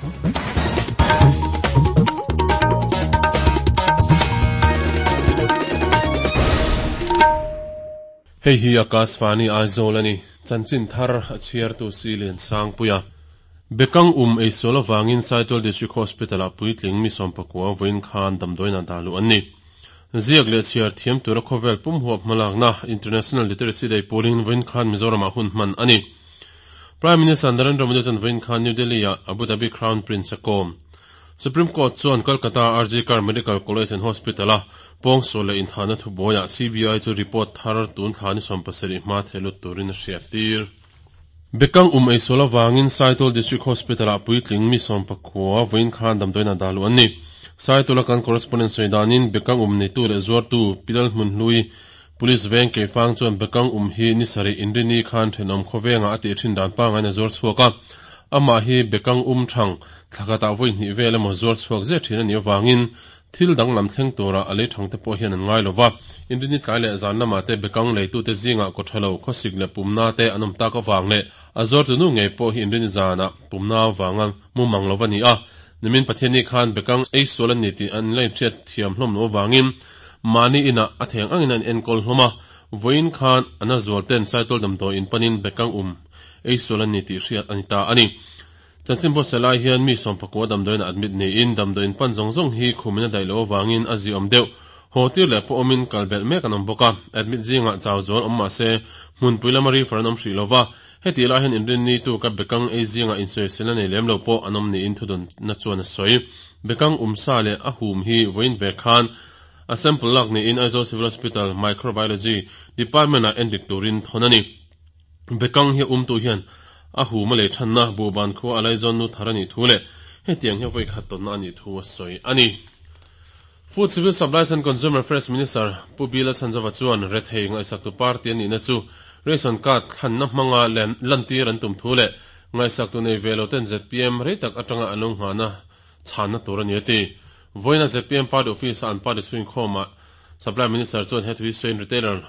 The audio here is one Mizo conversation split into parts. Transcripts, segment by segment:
Hei hi Akashvani Aizawl a ni. Chanchin thar a chhiartu si Liansangpuia. Bekang um eisual avangin Saitual District Hospital-ah puitling mi sawmpakua vawiin khan damdawiinah dah luh an ni. Ziak leh chhiar thiam tura khawvel pum huap hmalakna International Literacy Day pawlin vawiin khan Mizoramah hun hman a ni. Prime Minister Narendra Modi chuan vawiin khan New Delhi-ah Abu Dhabi Crown Prince a kawm. Supreme Court chuan Kolkata RG Kar Medical College and Hospital-a pawngsual leh inthahna thubuaiah CBI chu report thar tun thla ni 17 hma thehlut turin a hriattir. Bekang um eisual avangin Saitual District Hospital-ah puitling mi sawmpakua vawiin khan damdawiinah dah luh an ni. Saituala kan correspondent sawi danin Bekang um neitu leh zuartu Pilal Hmunhlui Police veng Keifang chuan Bekang um hi ni sarih inrini khan thenawm khawvengah a tih thin dan pangain a zuar chhuak a. Amah hi Bekang um thang thla khatah vawi hnih vel emaw zuar chhuak zet thin a nih avangin thil danglam thleng tura a lei thang te pawh hian an ngai lo va. Inrini tlai leh zan lamah te Bekang leitute zingah kawthalo, khawsik leh pumna te an awm tak avang leh a zuartu nu ngei pawh hi inrini zanah pumna avanga mu mang lo va ni a. Nimin Pathianni khan Bekang ei sual a ni tih an la inhriat thiam hlawm loh avangin Mahni inah a theng angin a inenkawl hlawm a, vawiin khan a na zual ten Saitual damdawi in panin Bekang um ei sual an ni tih hriat a ni ta a ni. Chanchin Bawtse lai hian mi sawmpakua damdawiin a admit niin damdawi in pan zawng zawng hi khumin a daih loh avangin a ziawm deuh. Haw tir leh pawh awmin kal belh mek an awm bawk a, admit zingah chau zual awm mah se hmunpui lama refer an awm hrih lo va, hetih lai hian inrinni tuka Bekang ei zingah insawisel a nei lem lo pawh an awm niin thudawnna chuan a sawi. Bekang um sa leh a hum hi vawiin ve khan a sample lak niin Aizawl Civil Hospital Microbiology Department-ah endik turin thawn a ni. Bekang hi a umtu hian a hum a lei thanna Buhban khua a laizawn nu thar a nih thu leh hetiang hi a vawi khat tawnna a nih thu a sawi a ni. Food Civil Supplies and Consumer Affairs Minister Pu Bila Chhanzova chuan rethei ngaihsaktu party a nihna chu ration card thlanna hmanga lantir an tum thu leh ngaihsaktu nei ve lo ten zpm rei tak atanga an lo nghahna chhanna tur a ni a ti. Vawiina zpm party office-a an party chhuinkhawmah Supply Minister chuan he thu hi sawiin retailer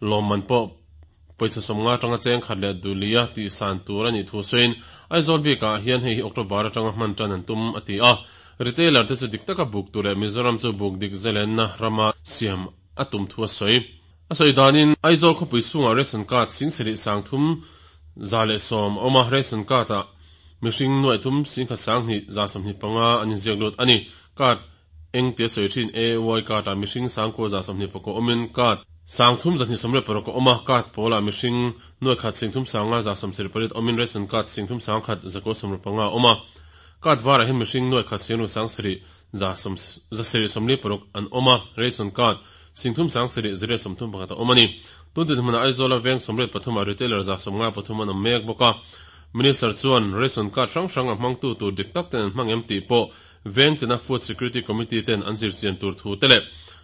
lawmman pawh pawisa sawmnga atanga cheng khat leh duhlia tih san tur a nih thu sawiin Aizawl bikah hian hei hi October atanga hman tan an tum a ti a. Retailer te chu dik taka buk tur leh Mizoram chu buk dik zalenna rama siam a tum thu a sawi. A sawi danin Aizawl khawpui chhungah ration card singserih 3110 a awm a, ration card ah mihring nuaih thum singkhat 10,000 125 an inziak lut a ni. Card eng tia sawi thin AY card ah mihring 9,129 awmin card 3,226 a awm a, card pawlah mihring nuaih khat 3,578 awmin ration card 3,195 a awm a. Card varah hian mihring nuaih khat 6,746 an awm a, ration card 3,731 a awm a ni. Tun dinhmunah Aizawla veng 83 ah retailer 153 an awm mek bawk a. Minister chuan ration card hrang hrang a hmangtu tur dik tak ten an hmang em tih pawh veng tina Food Security Committee ten an zirchian tur thu te leh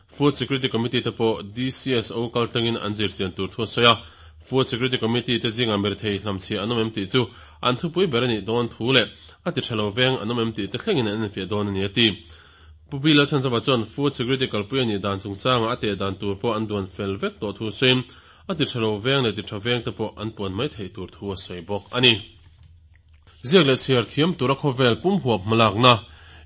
Food Security Committee te pawh DCSO kaltlangin an zirchian tur thu a sawi a. Food Security Committee te zingah mirethei hlamchhiah an awm em tih chu an thupui ber a nih dawn thu leh a ti tha lo veng an awm em tih te thlengin an enfiah dawn a ni a ti. Pu Bila Chhanzova chuan Food Security kalpui a nih dan chungchangah a teh dan tur pawh an duan fel vek tawh thu sawiin a ti tha lo veng leh ti tha veng te pawh an puan mai theih tur thu a sawi bawk a ni. Ziak leh chhiar thiam tura khawvel pum huap hmalakna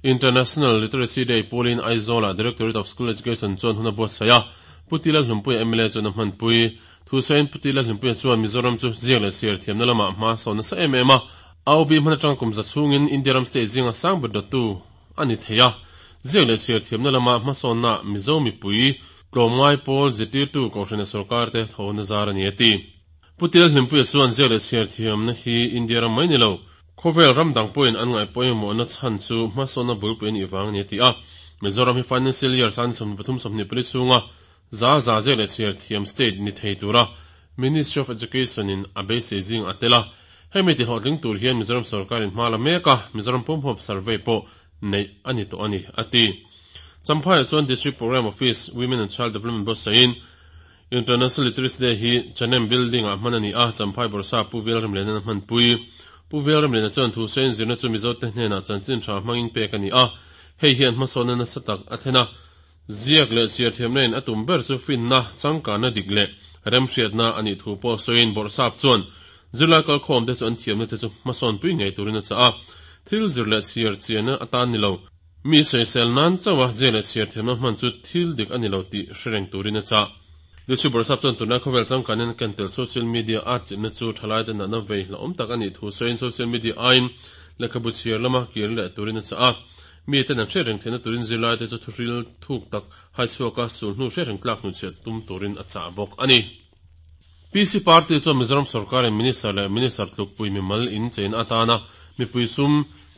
International Literacy Day pawlin Aizawlah Directorate of School Education chuan hun a buatsaih a, Pu Tila Hlumpuia mla chuan a hmanpui. Thusawiin Pu Tila Hlumpuia chuan Mizoram chu ziak leh chhiar thiamna lamah hma sawn nasa em em a, AOB hman atanga kum za chhungin India ram state zinga sang ber dawttu a ni thei a. Ziak leh chhiar thiamna lama hmasawnna Mizo mipui tlawmngai pawl zirtirtu Kohhrana sorkar te tho na zar a ni a ti. Pu Tila Hlimpuia chuan ziak leh chhiar thiamna hi India ram mai ni lo, khawvel ram dang pawhin an ngaih pawimawhna chhan chu hmasawnna bulpui a nih vang a ni a ti a. Mizoram hi Financial Year 2023 24 chhunga za za ziak leh chhiar thiam state ni thei tura Ministry of Education in a beisei zing a tel a. Hemi tihlawhtling tur hian Mizoram sorkarin hma la mek a, Mizoram pumhuap survey pawh neih a ni tawh a ni, a ti. Champhaiah chuan District Programme Office, Women and Child Development buatsahin International Literacy Day hi Chanem Building ah hman a ni a, Champhai Bawrhsa Pu Velremliana'n a hmanpui. Pu Velremliana chuan thu sawiin zirna chu Mizote hnenah chanchin tha hmangin pek a ni a, hei hian hmasawnna nasa tak a thlen a. Ziak leh chhiar thiamna in a tum ber chu finna, changkanna dik leh remhriatna a nih thu pawh sawiin Bawrhsap chuan zirlai kalkhawmte chu an thiamna te chu hmasawnpui ngei turin a chah a. Thil zir leh chhiar chianna atan ni lo, mi sawisel nan chauha ziak leh chhiar thiamna hman chu thil dik a ni lo tih hre reng turin a chah. Lucy Borsap chuan tunlai khawvel changkanin a ken tel social media a chimna chu thalaite natna vei hlauhawm tak a nih thu sawiin social media aiin lehkhabu chhiar lama kir leh turin a chah a. Miten an hriat reng theihna turin zirlaite chu thuhril thuk tak hai chhuaka sulhnu hriat reng tlak hnuchhiah tum turin a chah bawk a ni. PC Party chuan Mizoram sorkarin Minister leh Minister tlukpui mimal in cheina atana mipui sum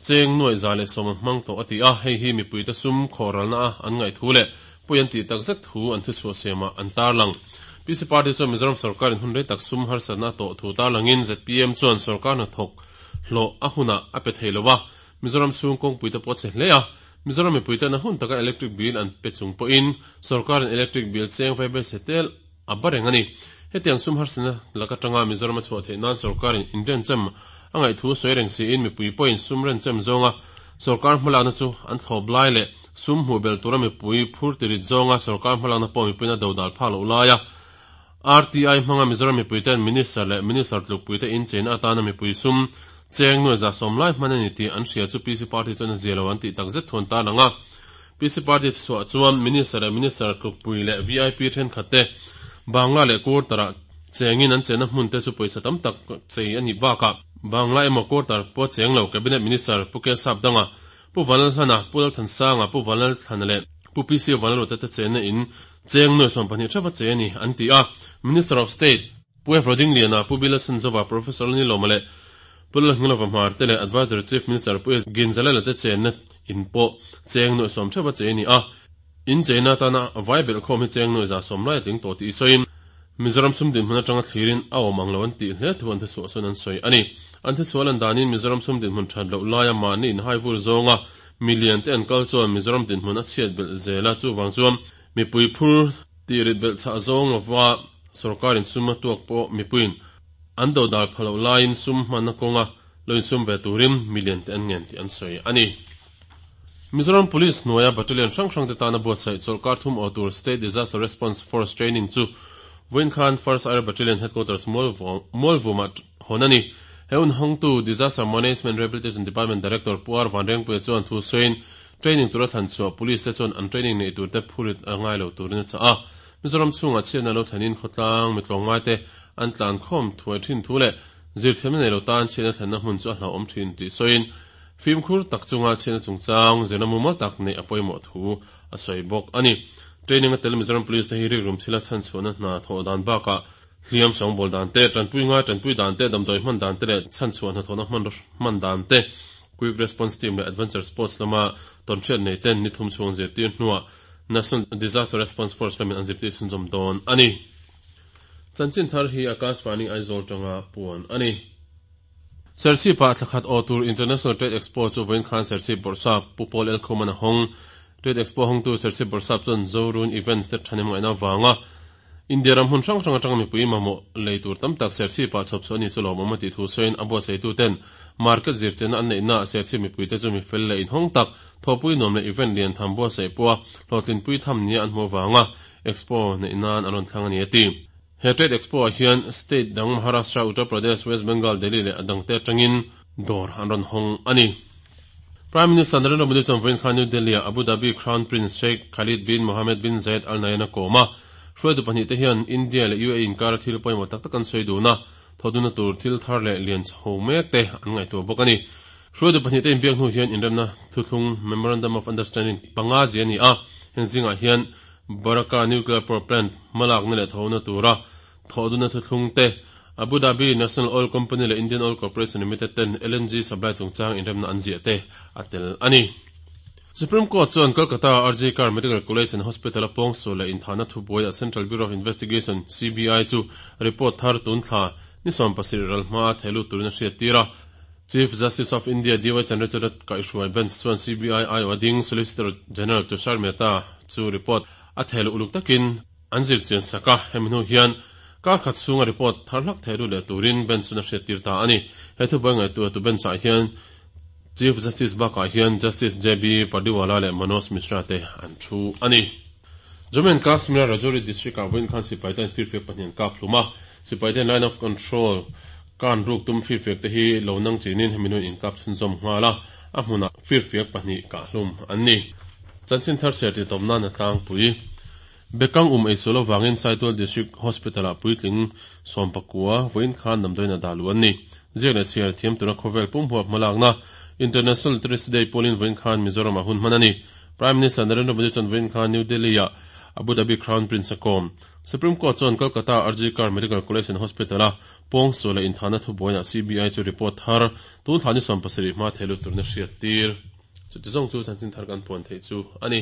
cheng nuaih 110 an hmang tawh a ti a, hei hi mipuite sum khawhralna a an ngaih thu leh pawi an tih tak zet thu an thuchhuah siamah an tarlang. PC Party chuan Mizoram sorkarin hun rei tak sum harsatna a tawh thu tarlangin zpm chuan sorkar hnathawk hlawh a hunah a pe thei lo a, Mizoram chhung kawngpuite pawh a chhe hle a, Mizoram mipuite'n a hun taka electric bill an pe chung pawhin sorkarin electric bill cheng vai bai se tel a ba reng a ni. Hetiang sum harsatna lak atanga Mizoram a chhuah theih nan sorkarin inrenchem a ngaih thu sawi reng siin mipui pawhin sum renchem zawnga sorkar hmalakna chu an thlawp lai leh sum hmuh belh tura mipui phur tirit zawnga sorkar hmalakna pawh mipuiin a dodal phak loh laia RTI hmanga Mizoram mipuite'n Minister leh Minister tlukpuite incheina atana mipui sum cheng nuai 110 lai hman a ni tih an hria chu PC Party chuan a zia lo an tih takzet thu an tarlang a. PC Party chhuah chuan Minister leh Minister tlukpui leh VIP thenkhat te Bangla leh Quarter-ah chengin an chenna hmun te chu pawisa tam tak chei a nih bakah Bangla emaw Quarter pawh cheng lo Cabinet Minister Pu Kelsap Danga, Pu Vanlalhlana, Pu Lalthansanga, Pu Vanlalthlana leh Pu PC Vanlalruata te chenna in cheng nuai 12 theuh a che a ni an ti a. Minister of State Pu F Rodingliana, Pu Bilasanzova, Professor Lalnilawma leh Pu Lalhngilova Hmar te leh Advisory Chief Minister Pu S Ginzalela te chenna in pawh cheng nuai 10 theuh a che a ni a. In cheina atana vai belh khawm hi cheng nuai 110 lai a tling tawh tih sawiin Mizoram sum dinhmun atanga thlirin a awm ang lo an tih hle thu an thuchhuah sawn an sawi a ni. An thuchhuah lan danin Mizoram sum dinhmun that loh laia mahni inhai vur zawnga milian te an kal chuan Mizoram dinhmun a chhiat belh zel a, chuvang chuan mipui phur tih rit belh chhah zawng lova sorkarin sum a tuak pawh mipuiin an dodal pha loh laiin sum hmanna kawnga lo insum ve turin milian te an ngen tih an sawi a ni. Mizoram Police hnuaia Battalion hrang hrang te tana buatsaih chawlhkar thum aw tur State Disaster Response Force Training chu vawiin khan First Air Battalion Headquarters Mualvumah hawn a ni. He hun hawngtu Disaster Management Rehabilitation Department Director Pu R Vanrengpuia chuan thu sawiin training tura thlan chhuah Police te chuan an training neih tur te phurit a ngai lo turin a chah a. Mizoram chhungah chhiatna lo thlenin khawtlang mitlawngngai te an tlankhawm thuai thin thu leh zirthiamna nei lo tan chhiatna thlenna hmun chu a hlauhawm thin tih sawiin Fimkhur tak chunga chhiatna chungchang zirna mumal tak neih a pawimawh thu a sawi bawk a ni. Training a tel Mizoram Police te hi rikrum thila chhanchhuahna hna thawh dan bakah hliam sawngbawl dan te, tanpui ngai tanpui dan te, damdawi hman dan te leh chhanchhuah hnathawhna hman dan te, Quick Response Team leh Adventure Sports lama tawnhriat nei ten ni thum chhung zirtir hnuah National Disaster Response Force lamin an zirtir chhunzawm dawn a ni. Chanchin thar hi Akashvani Aizawl tanga puan a ni. Serchhip-ah thla khat aw tur International Trade Expo chu vawiin khan Serchhip Bawrhsap Pu Paul Elkhuman a hawng. Trade Expo hawngtu Serchhip Bawrhsap chuan Zorun Events te thahnem ngaihna avanga India ram hmun hrang hrang atanga mipui mamawh lei tur tam tak Serchhip-ah chhawp chhuah a ni chu lawmawm a tih thu sawiin a buatsaituten market zirchianna an neihnaah Serchhip mipuite chu mi fel leh inhawng tak thawhpui nuam leh event lian tham buatsaih pawha hlawhtlinpui tham nia an hmuh avanga Expo neih nan an rawn thlang a ni a ti. He Trade Expo ah hian state dang Maharashtra, Uttar Pradesh, West Bengal, Delhi leh a dangte atangin dawr an rawn hawng a ni. Prime Minister Narendra Modi chuan vawiin khan New Delhi ah Abu Dhabi Crown Prince Sheikh Khalid bin Mohammed bin Zayed Al Nahyan a kawm a. Hruaitu pahnih te hian India leh UAE inkara thil pawimawh tak tak an sawi dun a, thawhdunna tur thil thar leh lian chho mek te an ngaihtuah bawk a ni. Hruaitu pahnih te inbiak hnu hian inremna thuthlung, Memorandum of Understanding, panga zia a ni a, heng zingah hian Baraka Nuclear Power Plant hmalakna leh thawhna tura thawhdunna thuthlung te, Abu Dhabi National Oil Company leh Indian Oil Corporation Limited ten LNG supply chungchang inremna an ziah te a tel a ni. Supreme Court chuan Kolkata RG Kar Medical College and Hospital a pawngsual leh inthahna thubuaiah Central Bureau of Investigation, CBI, chu report thar tun thla ni 17 ral hmaa thei lut turin a hriattir a. Chief Justice of India DY Chandrachud kaihhruai bench chuan CBI aiawh ding Solicitor General Tushar Mehta chu report a thei loh uluk takin an zir chian sak a, hemi hnu hian kar khat chhunga report thar hlak thei lut leh turin bench chuan a hriattir ta a ni. He thubuai ngaihtuahtu bench ah hian Chief Justice bakah hian Justice JB Pardiwala leh Manoj Mishra te an thu a ni. Jammu and Kashmir-a Rajouri district-ah vawiin khan sipai ten firfiak pahnih an kap hlum a, sipai ten line of control kan ruk tum firfiak te hi lo nang chinin hemi nuin inkap chhunzawm nghal a. a hmunah firfiak pahnih kahhlum an ni. Chanchin thar chhiar tihtawp nan a tlangpui. Bekang um eisual avangin Saitual District Hospital-ah puitling 19 vawiin khan damdawiinah dah luh an ni. Ziak leh chhiar thiam tura khawvel pum huap hmalakna International Literacy Day pawlin vawiin khan Mizoramah hun hman a ni. Prime Minister Narendra Modi chuan vawiin khan New Delhi-ah Abu Dhabi Crown Prince a kawm. Supreme Court chuan Kolkata RG Kar Medical College and Hospital-a pawngsual leh inthahna thubuaiah CBI chu report thar tun thla ni 17 hma thei lut turin a hriattir. Chuti zawng chu chanchin thar kan puan theih chu a ni.